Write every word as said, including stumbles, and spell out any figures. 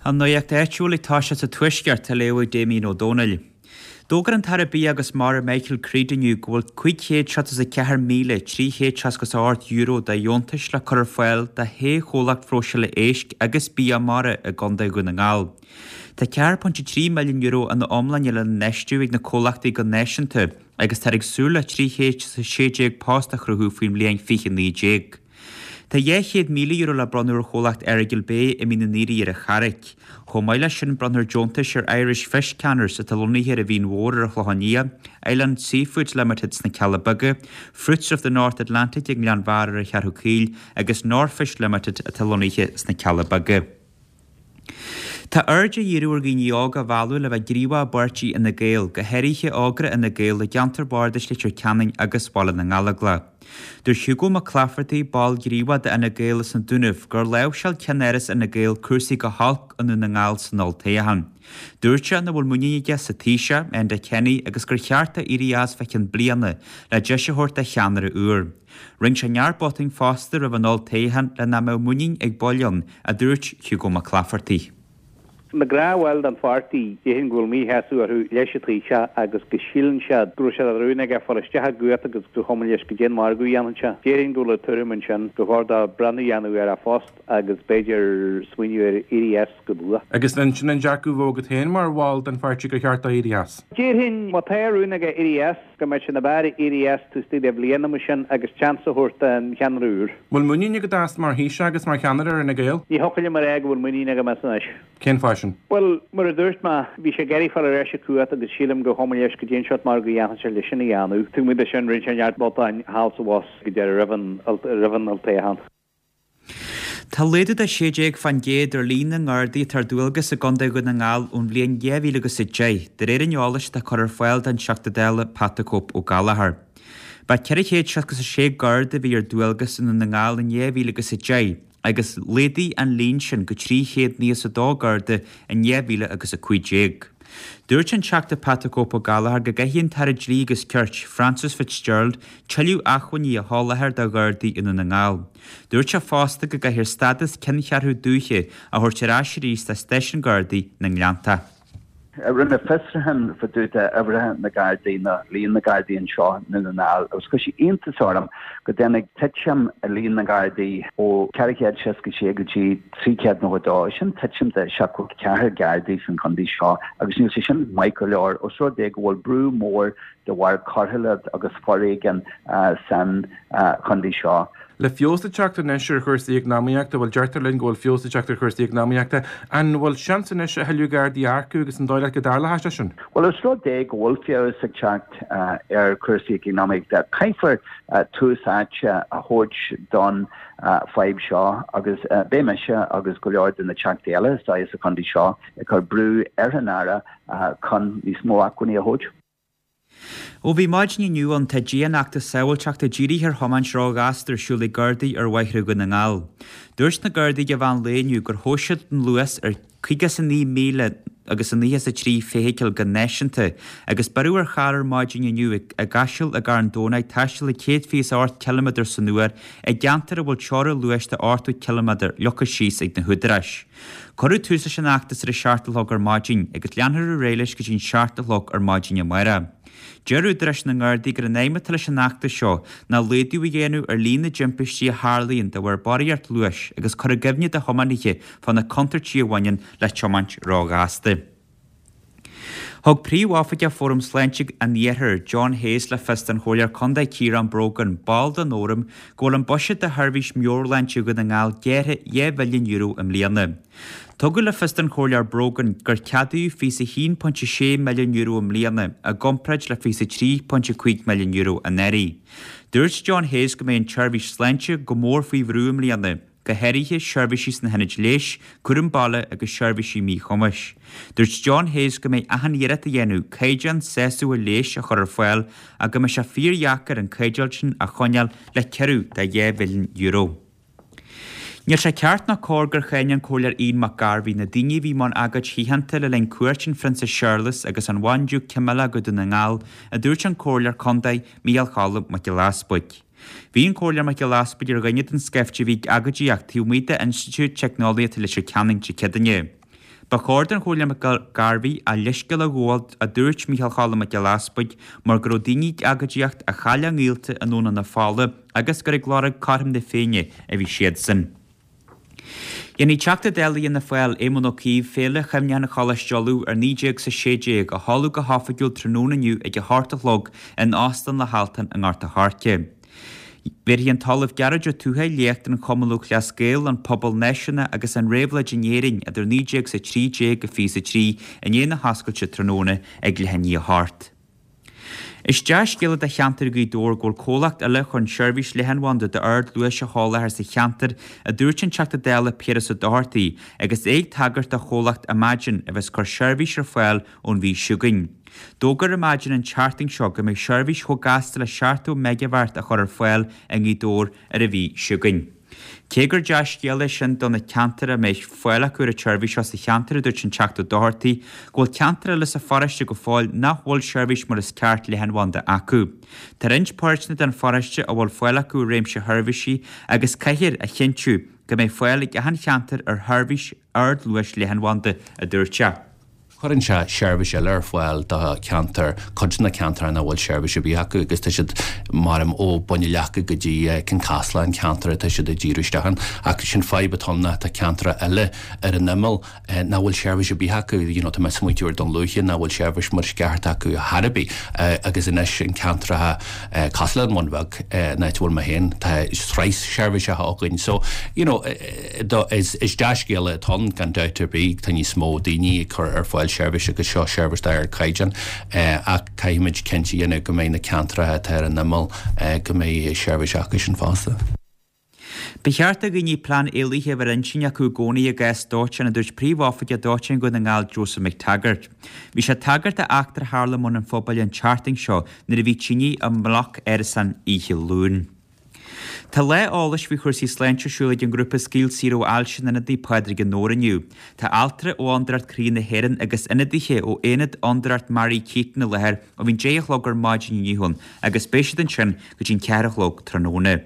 An nuacht áitiúil ag toiseacht sa Tuaisceart á léamh ag Damien Ó Dónaill. D'fhógair an tAire Bia agus Mara Michael Creed inniu go bhfuil cúig chéad seachtó is a ceathair míle trí chéad seasca is a hocht euro de dheontais le cur ar fáil do shé chomhlacht phróiseála éisc agus bia mara i gContae Dhún na nGall. Tá ceathair pointe trí milliún euro ina iomláine lena n-infheistiú ag na comhlachtaí go náisiúnta agus táthar ag súil le trí chéad sé déag post a chruthú faoin mbliain fiche naoi déag. Tá dhá chéad míle euro le bronnadh ar chomhlacht Errigal Bay i Mín an Aoire ar an Charraic. Chomh maith leis sin bronnfar deontais ar Irish Fish Canners atá lonnaithe ar an Mhín Mhór ar an Chlochán Liath, Island Seafoods Limited sna Cealla Beaga, Fruits of the North Atlantic ag nGleann Bharra ar an Cheathrú Caoil agus Northfish Limited atá lonnaithe sna Cealla Beaga. Tá aird á dhíriú ar dhaoine óga a mhealladh le bheith gníomhach i bpáirtí Fhine Gael, go háirithe ógra Fhine Gael i gceantar Bhardais Leitir Ceanainn agus Bhaile na nGallóglach. Dúirt Hugo Mac Claifertaigh, ball gníomhach d'Fhine Gael as na Dúnaibh, gur láimhseáil ceannáras Fhine Gael cúrsaí go holc i nDún na nGall san olltoghchán. Dúirt sé nach bhfuil muinín aige sa Taoiseach, Enda Kenny, agus gur cheart dó éirí as fá cheann bliana le deis a thabhairt do cheannaire úr. Rinne sé neart botúin fosta roimh an olltoghchán le nach mbeadh muinín ag baill ann, a dúirt Hugo Mac Claifertaigh. Na gnáthbhaill den pháirtí, déarfainn go bhfuil míshásamh orthu leis an Taoiseach agus go síleann siad go raibh sé de rún aige fáil isteach i gcumhacht agus gur chuma leis goidé an margadh a dhéanann sé. Déarfainn go bhfuil an tuairim ansin gur chóir dó breathnú a dhéanamh ar a phost agus b'fhéidir smaoineamh ar éirí as go luath. Agus sin an dearcadh a bheadh agat féin mar bhall den pháirtí gur cheart dó éirí as. Déarfainn má tá rún aige éirí as go mbeadh sé ní b'fhearr éirí as taobh istigh de bhliain mar sin agus seans a thabhairt don cheannaire úr. Bhfuil muinín agat as mar Thaoiseach agus mar cheannaire ar Fhine Gael? Ní thiocfadh liom a rá go bhfuil muinín agam as anois. Cén fáth sin? Bhuel, mar a dúirt mé, bhí sé ag iarraidh fáil ar ais i gcumhacht agus sílim gur chuma leis goidé an seort margadh a dhéanfadh sé leis sin a dhéanamh. Tuigim de sin rinne sé neart botúin thall is abhus go deireadh roimh an roimh an olltoghchán. Tá laghdú de sé déag faoin gcéad ar líon na nGardaí atá ar dualgas i gContae Dhún na nGall ón bhliain dhá mhíle agus a deich, de réir an eolais atá curtha ar fáil don Teachta Dála Pat the Cope Ó Gallchóir. Ba ceithre chéad seasca is a sé Garda a bhí ar dualgas i nDún na nGall in dhá mhíle agus a deich, agus laghdaigh an líon sin go trí chéad nócha is a dó Garda in dhá mhíle agus a cúig déag. Dúirt an Teachta Pat the Cope Ó Gallchóir go gcaithfidh an tAire Dlí agus Cirt, Frances Fitzgerald, tuilleadh acmhainní a sholáthar do Ghardaí i Ndún na nGall. Dúirt sé fosta go gcaithfear stádas ceanncheathrú dúiche a thabhairt ar ais arís do stáisiún Gardaí na nGleannta. Rinne mé fiosrúchán fá dtaobh de uimhreacha na Gardaí nó líon na Gardaí anseo i nDún na nGall agus chuir sé iontas orm go dtáinig titim i líon na Gardaí ó ceithre chéad seasca sé go dtí trí chéad nócha dó. Sin titim de seachtó ceathair Gardaí san chontae seo agus níl sé sin maith go leor os rud é go bhfuil brú mór de bharr coiriúlacht agus foréigean san chontae seo. Le feabhas ag teacht anois ar chúrsaí eacnamaíochta, bhuel deirtear linn go bhfuil feabhas ag teacht ar chúrsaí eacnamaíochta, an bhfuil seans anois a thuilleadh Gardaí a earcú agus an dóigh leat go dtarlóidh sé sin? Bhuel, os rud é go bhfuil feabhas ag teacht ar chúrsaí eacnamaíochta, caithfear tús áite a thabhairt don fadhb seo agus beidh mise agus go leor de na Teachtaí eile is dóigh sa chontae seo ag cur brú ar an Aire chun níos mó acmhainní a thabhairt. Ó bhí maidin inniu ann tá dianfheachtas sábháilteachta dírithe ar thiomáint róghasta ar siúl ag Gardaí ar bhóithre Dhún na nGall. Dúirt na Gardaí ag an mheán lae inniu gur thomhais siad an luas ar caoga is a naoi míle agus a nócha is a trí feithicil go náisiúnta agus beireadh ar charr ar maidin inniu i gCaiseal i gCarn Domhnach ag taisteal ag céad fiche is a ocht ciliméadar san uair i gceantar a bhfuil teorainn luais de ochtó ciliméadar leagtha síos ag na húdaráis. Cuireadh tús leis an fheachtas ar a seacht a chlog ar maidin agus leanfar ar aghaidh leis go dtí an seacht a chlog ar maidin amárach. Deir údaráis na nGardaí gur an aidhm atá leis an fheachtas seo ná laghdú a dhéanamh ar líon na dtimpistí a tharlaíonn de bharr barraíocht luais agus cur i gcuimhne do thiománaithe fá na contúirtí a bhaineann le tiomáint róghasta. Thug Príomhoifigeach Fóram Sláinte an Iarthair, John Hayes le fios don Chomhairleoir Contae Ciarán Brogan, ball den Fhóram, go bhfuil an buiséad do sheirbhís meabhairshláinte Dhún na nGall gearrtha dhá mhilliún euro i mbliana. Tugadh le fios don Chomhairleoir Brogan gur ceadaíodh fiche a haon pointe sé milliún euro i mbliana i gcomparáid le fiche a trí pointe cúig milliún euro anuraidh. Dúirt John Hayes go mbeidh an tseirbhís sláinte go mór faoi bhrú i mbliana, go háirithe seirbhísí sna hionaid leighis, cúram baile agus seirbhísí míchumais. Dúirt John Hayes go mbeidh achan iarracht á dhéanamh caighdeán sásúil leighis a chur ar fáil ach go mbeidh sé fíordheacair an caighdeán sin a choinneáil le ciorrú de dhá mhilliún euro. Níl sé ceart ná cóir gur cháin an Comhairleoir Ian Mac Gairbhí na daoine a bhí i mbun agóid shíochánta le linn cuairt an Phrionsa Séarlas agus an Bhandiúc Camilla go Dún na nGall, a dúirt an Comhairleoir Contae Micheál Cholm Mac Giolla Easbuig. Bhí an Comhairleoir Mac Giolla Easbuig ar dhuine den scaifte a bhí ag agóidíocht taobh amuigh d'Institiúid Teicneolaíochta Leitir Ceanainn Dé Céadaoine. Ba chóir don Chomhairleoir McGarvey a leithscéal a ghabháil a dúirt Micheál Choilm Mac Giolla Easbuig mar go raibh daoine ag agóidíocht a chaill a ngaolta i nDomhnach na Fola agus gur ag lorg cothrom na Féinne a bhí siadsan. Dhéanfaidh Teachta Dála Fhianna Fáil Éamon Ó Cuív Féile Chuimhneacháin Choláiste Uladh ar naoi déag is a sé déag a sheoladh go hoifigiúil tráthnóna inniu ag a hocht a chlog in Óstán an Loch Altan i nGort a' Choirce. Bhéarfaidh an tOllamh Gearóid Ó Tuathaigh léacht ar an Chumann Lúthchleas Gael, an pobal náisiúnach agus an réabhlóid in Éirinn idir naoi déag is a trí déag go fiche is a trí i ndiaidh na hoscailte tráthnóna ag leath i ndiaidh a hocht. Is dea-scéala do cheantar Ghaoth Dobhair go bhfuil comhlacht eile chun seirbhís leathanbhanda d'ardluais a sholáthar sa cheantar, a dúirt an Teachta Dála Piaras Ó Dochartaigh agus é ag tagairt do chomhlacht Imagine a bheas ag cur seirbhís ar fáil ón mhí seo chugainn. D'fhógair Imagine an tseachtain seo go mbeidh seirbhís chomh gasta le seachtó meigeabhat á chur ar fáil i nGaoth Dobhair ar an mhí seo chugainn. Cé gur dea-scéal é sin do na ceantair a mbeidh fáil acu ar an tseirbhís seo sa cheantar, a dúirt an Teachta Ó Dochartaigh, go bhfuil ceantair eile sa pharóiste go fóill nach bhfuil seirbhís mar is ceart leathanbhanda acu. Tá roinnt páirteanna den pharóiste a bhfuil fáil acu ar réimse sheirbhísí agus caithfear a chinntiú go mbeidh fáil ag achan cheantar ar sheirbhís ardluais leathanbhanda, a dúirt sé. Cuireann sé seirbhís eile ar fáil do cheantar, cuid de na ceantair nach bhfuil seirbhís ar bith acu agus tá siad maram ó Bhun na Leaca go dtí Cionn Caslán, ceantar atá siad ag díriú isteach ann. Ach sin fadhb atá ann ná tá ceantair eile ar an imeall nach bhfuil seirbhís ar bith acu, you know, tá mé ag smaointiú ar Dún Lúiche nach bhfuil seirbhís mar is ceart acu thar ar bith agus anois an ceantracha cosúil le an Bhun Bheag, an áit a bhfuil mé féin, tá sraith seirbhíseacha againn. So, you know, is dea-scéala atá ann gan dabht ar bith, tá níos mó daoine ag cur ar fáil seirbhís agus seo seirbhís d'ardchaighdeán ach caithfimid cinnte a dhéanamh go mbeidh na ceantracha atá ar an imeall go mbeidh seirbhís acu sin fosta. Ba cheart do dhaoine plean éalaithe a bheith ar intinn acu i gcónaí i gcás dóiteáin, a dúirt Príomhoifigeach Dóiteáin Dhún na nGall Joseph McTaggart. Bhí sé ag tagairt d'eachtra a tharla i mBun an Phobail an tseachtain seo nuair a bhí tine i mbloc árasán oíche Luain. Tá lá eolais faoi chúrsaí sláinte ar siúl ag an ngrúpa Scaoil Saor ó Ailse in Ionad Naomh Pádraig i nDobhar inniu. Tá altra ó Fhondúireacht Croí na hÉireann agus ionadaithe ó Aonad Fhondúireacht Mary Keating i láthair ó bhí an deich a chlog ar maidin inniu ann agus beidh siad ansin go dtí an ceathair a chlog tráthnóna.